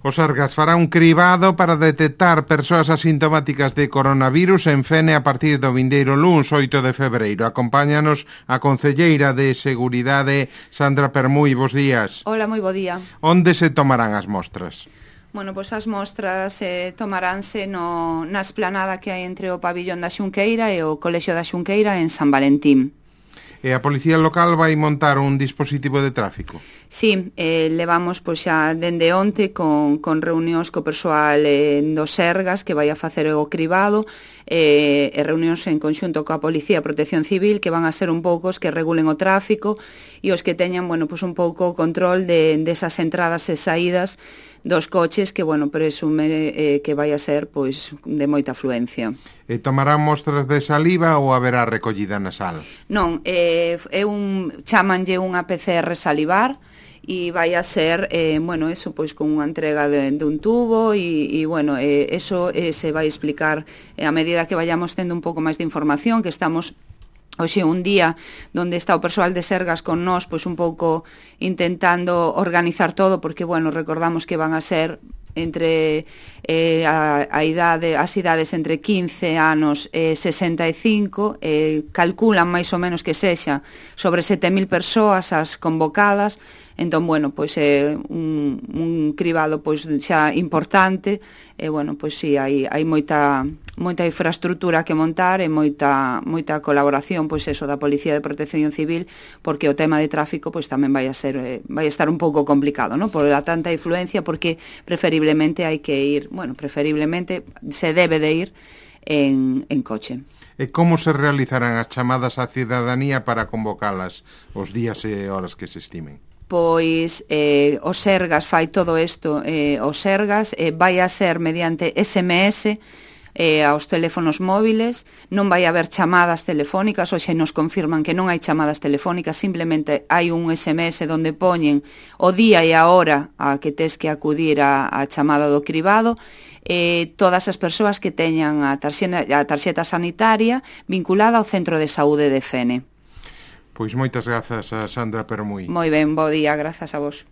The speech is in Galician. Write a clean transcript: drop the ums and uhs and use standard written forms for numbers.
O Sergas fará un cribado para detectar persoas asintomáticas de coronavirus en Fene a partir do vindeiro luns 8 de febreiro. Acompáñanos a concelleira de Seguridade, Sandra Permui. Bos días. Hola, moi bo día. Onde se tomarán as mostras? Bueno, pois as mostras tomaránse na esplanada que hai entre o pabillón da Xunqueira e o Colexio da Xunqueira en San Valentín. E a Policía Local vai montar un dispositivo de tráfico? Sí, levamos pois xa dende onte con reunións co persoal do Sergas que vai a facer o cribado e reunións en conxunto coa Policía e Protección Civil que van a ser un pouco os que regulen o tráfico e os que teñan, bueno, pois un pouco o control desas entradas e saídas dos coches que, bueno, presume que vai a ser, pois, de moita afluencia. E tomarán mostras de saliva ou haberá recollida nasal? Non, chamanlle unha PCR salivar e vai a ser, bueno, eso, pois, con unha entrega dun tubo e bueno, eso se vai explicar a medida que vayamos tendo un pouco máis de información, que estamos hoxe un día donde está o persoal de Sergas con nós, pois un pouco intentando organizar todo, porque, bueno, recordamos que van a ser entre as idades entre 15 anos e 65, calculan máis ou menos que sexa sobre 7.000 persoas as convocadas. Entón, bueno, pois é un cribado pois xa importante e, bueno, pois si, hai moita infraestructura que montar e moita colaboración, pois eso, da Policía de Protección Civil, porque o tema de tráfico pois tamén vai estar un pouco complicado, ¿no? Por la tanta influencia, porque preferiblemente hai que ir, bueno, preferiblemente se debe de ir en coche. E como se realizarán as chamadas á cidadanía para convocalas os días e horas que se estimen? Pois o Sergas fai todo isto, o Sergas vai a ser mediante SMS aos teléfonos móviles, non vai haber chamadas telefónicas, hoxe nos confirman que non hai chamadas telefónicas, simplemente hai un SMS donde poñen o día e a hora a que tes que acudir a chamada do cribado, todas as persoas que teñan a tarxeta sanitaria vinculada ao Centro de Saúde de Fene. Pois moitas grazas a Sandra Permui. Moi ben, bo día, grazas a vos.